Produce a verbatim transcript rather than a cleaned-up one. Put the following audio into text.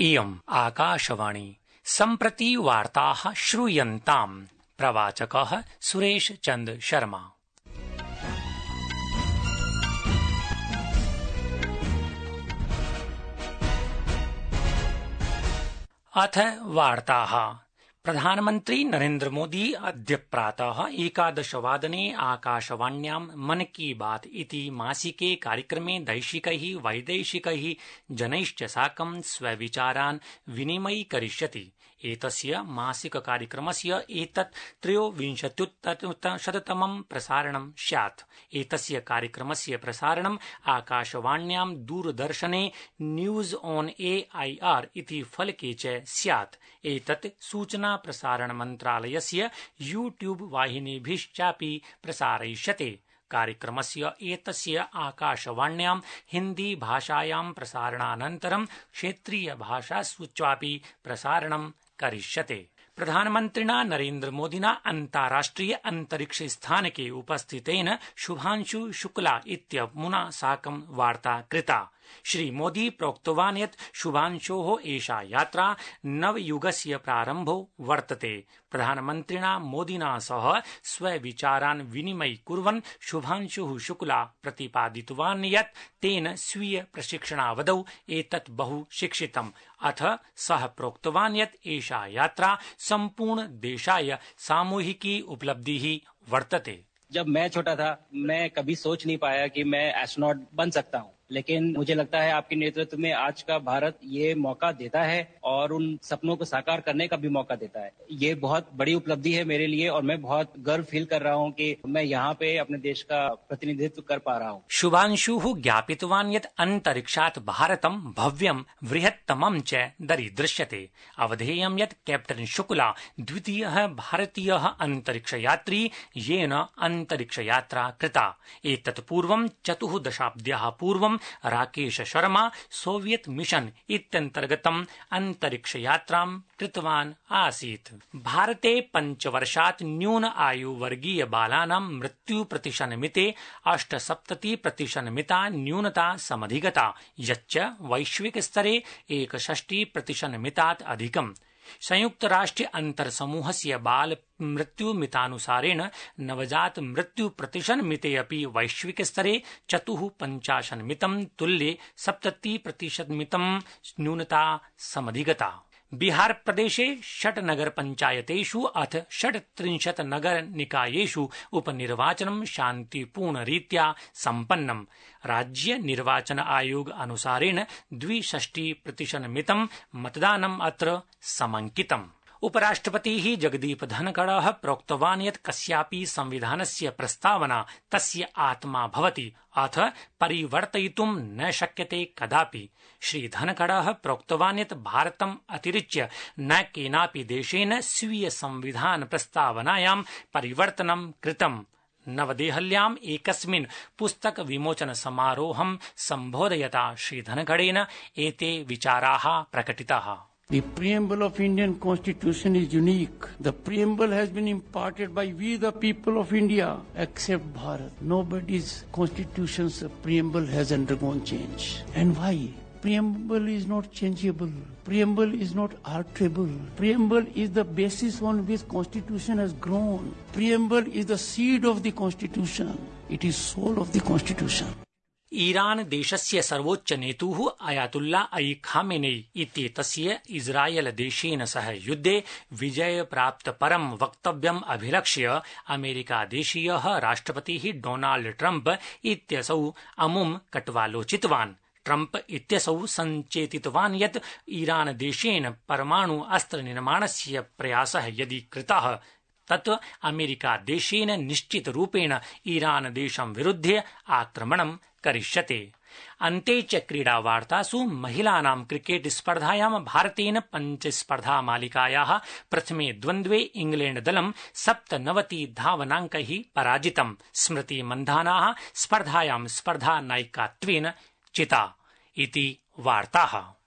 इयम् आकाशवाणी सम्प्रति वार्ताः श्रूयन्ताम्। प्रवाचकः सुरेश चंद शर्मा। अथ वार्ताः। प्रधानमन्त्री नरेन्द्र मोदी अद्य प्रातः एकादशवादने आकाशवाण्यां मन की बात इति मासिके कार्यक्रमे दैशिकैः वैदेशिकैः जनैश्च साकं स्वविचारान् विनिमयीकरिष्यति। एतस्य मासिक कार्यक्रमस्य एतत् त्रयोविंशत्युत्तरशततमं प्रसारणं स्यात्। एतस्य कार्यक्रमस्य प्रसारणम् आकाशवाण्यां दूरदर्शने news on A I R इति फलके च स्यात्। एतत् सूचना प्रसारण मन्त्रालयस्य यूट्यूब वाहिनीभिश्चापि प्रसारयिष्यते। कार्यक्रमस्य एतस्य आकाशवाण्यां हिन्दी भाषायां प्रसारणानन्तरं क्षेत्रीय भाषासु चापि प्रसारणं करिष्यते। प्रधानमन्त्रिणा नरेन्द्र मोदिना अन्ताराष्ट्रिय अंतरिक्ष स्थानके उपस्थितेन शुभांशु शुक्ला इत्यमुना साकं वार्ता कृता। श्रीमोदी प्रोक्तवान् यत् शुभांशोः एषा यात्रा नवयुगस्य प्रारम्भो वर्तते। प्रधानमन्त्रिणा मोदिना सह स्वविचारान् विनिमयीकुर्वन् शुभांशुः शुक्ला प्रतिपादितवान् यत् तेन स्वीय प्रशिक्षणावधौ एतत् बहु शिक्षितम्। अथ सः प्रोक्तवान् यत् एषा यात्रा सम्पूर्ण देशाय सामूहिकी उपलब्धिः वर्तते। जब मैं छोटा था मैं कभी सोच नहीं पाया कि मैं एस्ट्रोनॉट बन सकता हूँ, लेकिन मुझे लगता है आपके नेतृत्व में आज का भारत ये मौका देता है और उन सपनों को साकार करने का भी मौका देता है। ये बहुत बड़ी उपलब्धि है मेरे लिए और मैं बहुत गर्व फील कर रहा हूँ कि मैं यहाँ पे अपने देश का प्रतिनिधित्व कर पा रहा हूँ। शुभांशुः ज्ञापितवान् यत् अन्तरिक्षात् भारतं भव्यं बृहत्तमं च दरीदृश्यते। अवधेयं यत् कैप्टन शुक्ला द्वितीयः भारतीयः अन्तरिक्षयात्री येन अन्तरिक्षयात्रा कृता। एतत् पूर्वं चतुर्दशाब्द्याः पूर्वं राकेश शर्मा सोवियत मिशन इत्यन्तर्गतम् अन्तरिक्षयात्रां कृतवान् आसीत्। भारते पञ्चवर्षात् न्यून आयुवर्गीय बालानां मृत्यु प्रतिशन्मिते अष्टसप्तति प्रतिशन्मिता न्यूनता समधिगता, यच्च वैश्विक स्तरे एकषष्टि प्रतिशन्मितात् अधिकम्। संयुक्त राष्ट्र अंतरसमूहस्य बाल मृत्यु मितानुसारेण नवजात मृत्यु प्रतिशन् मिते अपि वैश्विक स्तरे चतुः पंचाशन् मितं तुल्ये सप्तति प्रतिशत् मितं न्यूनता समधिगता। बिहार प्रदेशे षट् नगर पंचायतेषु अथ षट्त्रिंशत् नगर निकायेषु उपनिर्वाचनं शान्तिपूर्णरीत्या सम्पन्नम्। राज्य निर्वाचन आयोग अनुसारेण द्विषष्टि प्रतिशत् मितं मतदानम् अत्र समंकितम्। उपराष्ट्रपतिः जगदीप धनखडः प्रोक्तवान् यत् कस्यापि संविधानस्य प्रस्तावना तस्य आत्मा भवति, अथ परिवर्तयितुं न शक्यते कदापि। श्री धनखडः प्रोक्तवान् यत् भारतम् अतिरिच्य न केनापि देशेन स्वीय संविधान प्रस्तावनायां परिवर्तनं कृतम्। नवदेहल्याम् एकस्मिन् पुस्तक विमोचन समारोहं सम्बोधयता श्री धनखडेन एते विचाराः प्रकटिताः। The preamble of Indian Constitution is unique. The preamble has been imparted by we the people of India, except Bharat. Nobody's constitution's preamble has undergone change. And why? Preamble is not changeable. Preamble is not alterable. Preamble is the basis on which Constitution has grown. Preamble is the seed of the Constitution. It is soul of the Constitution. Iran देशस्य सर्वोच्च नेतुः Ayatollah Ali Khamenei इत्येतस्य इस्राएल देशेन सह युद्धे विजय प्राप्त परं वक्तव्यम् अभिलक्ष्य अमेरिका देशीयः राष्ट्रपतिः डोनाल्ड ट्रम्प इत्यसौ अमुं कट्वालोचितवान्। ट्रम्प इत्यसौ सञ्चेतितवान् यत् ईरान देशेन परमाणु अस्त्र निर्माणस्य प्रयासः यदि कृतः तत् अमेरिका देशेन निश्चित रूपेण ईरान देशं विरुध्य आक्रमणं करिष्यते। अन्ते च क्रीडा वार्तासु महिलानां क्रिकेट स्पर्धायां भारतेन पञ्चस्पर्धा मालिकायाः प्रथमे द्वन्द्वे इंग्लैण्ड दलं सप्तनवति धावनाङ्कैः पराजितम्। स्मृति मन्धानाः स्पर्धायां स्पर्धा नायिकात्वेन चिता इति वार्ताः।